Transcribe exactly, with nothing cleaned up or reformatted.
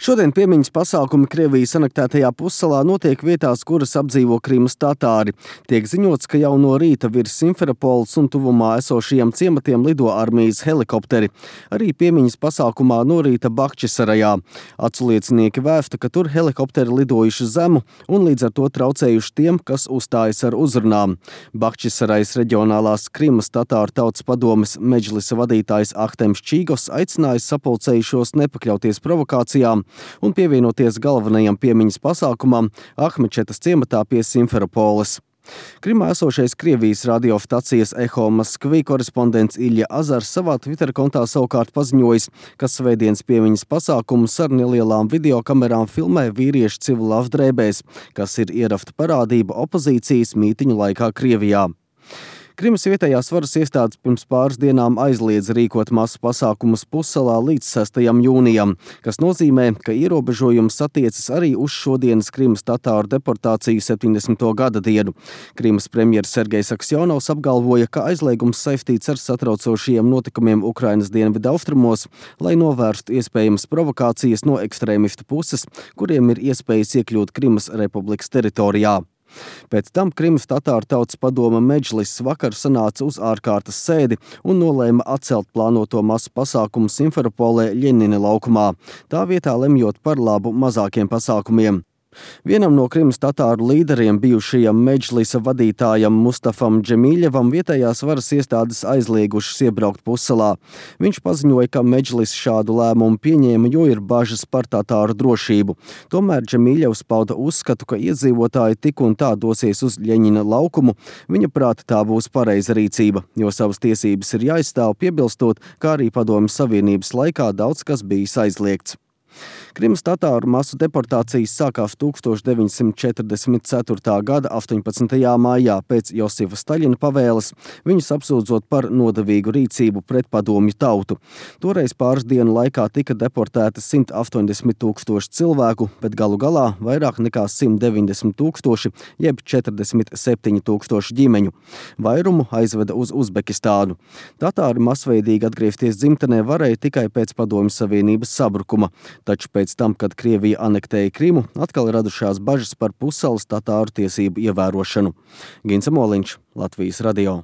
Šodien piemiņas pasākumi Krievijas anektētajā pussalā notiek vietās, kuras apdzīvo Krimas tatāri. Tiek ziņots, ka jau no rīta virs Simferopoles un tuvumā esošajiem ciematiem lido armijas helikopteri. Arī piemiņas pasākumā no rīta Bahčisarajā. Aculiecinieki vēsta, ka tur helikopteri lidojuši zemu un līdz ar to traucējuši tiem, kas uzstājas ar uzrunām. Bahčisarajas reģionālās Krimas tatāru tautas padomes medžlisa vadītājs Ahtems Čīgos aicinājis sapulcējušos nepakļauties provokācijām un pievienoties galvenajam piemiņas pasākumam Ahmečetas ciematā pie Simferopoles. Krimā esošais Krievijas radiostacijas Eho Maskvī korespondents Ilja Azars savā Twitter kontā savukārt paziņojis, ka svētdienas piemiņas pasākumus ar nelielām videokamerām filmē vīrieši civila apdrēbēs, kas ir ierafta parādība opozīcijas mītiņu laikā Krievijā. Krimas vietējās varas iestādes pirms pāris dienām aizliedz rīkot masu pasākumus pussalā līdz sestajam jūnijam, kas nozīmē, ka ierobežojums attiecas arī uz šodienas Krimas tatāru deportāciju septiņdesmito gada dienu. Krimas premjers Sergejs Aksjonovs apgalvoja, ka aizliegums saistīts ar satraucošajiem notikumiem Ukrainas dienvidu austrumos, lai novērstu iespējamas provokācijas no ekstrēmistu puses, kuriem ir iespējas iekļūt Krimas republikas teritorijā. Pēc tam Krimas tatāru tautas padome medžliss vakar sanāca uz ārkārtas sēdi un nolēma atcelt plānoto masu pasākumu Simferopolē Ļeņina laukumā, tā vietā lemjot par labu mazākiem pasākumiem. Vienam no Krimas tatāru līderiem, bijušajam medžlisa vadītājam Mustafam Džemīļevam, vietējās varas iestādes aizliegušas iebraukt pussalā. Viņš paziņoja, ka medžlis šādu lēmumu pieņēma, jo ir bažas par tatāru drošību. Tomēr Džemīļevs pauda uzskatu, ka iedzīvotāji tik un tā dosies uz Ļeņina laukumu. Viņa prāta tā būs pareiza rīcība, jo savas tiesības ir jāizstāv, piebilstot, kā arī Padomju Savienības laikā daudz kas bijis aizliegts. Krimas tatāru masu deportācijas sākās tūkstoš deviņsimt četrdesmit ceturtā gada astoņpadsmitajā maijā pēc Josifa Staļina pavēles, viņus apsūdzot par nodevīgu rīcību pret padomju tautu. Toreiz pāris dienu laikā tika deportēti simt astoņdesmit tūkstoši cilvēku, bet galu galā vairāk nekā simt deviņdesmit tūkstoši, jeb četrdesmit septiņi tūkstoši ģimeņu. Vairumu aizveda uz Uzbekistānu. Tatāri masveidīgi atgriezties dzimtenē varēja tikai pēc Padomju Savienības sabrukuma. Taču pēc tam, kad Krievija anektēja Krimu, atkal radušās bažas par pussalas tatāru tiesību ievērošanu. Gins Moliņš, Latvijas radio.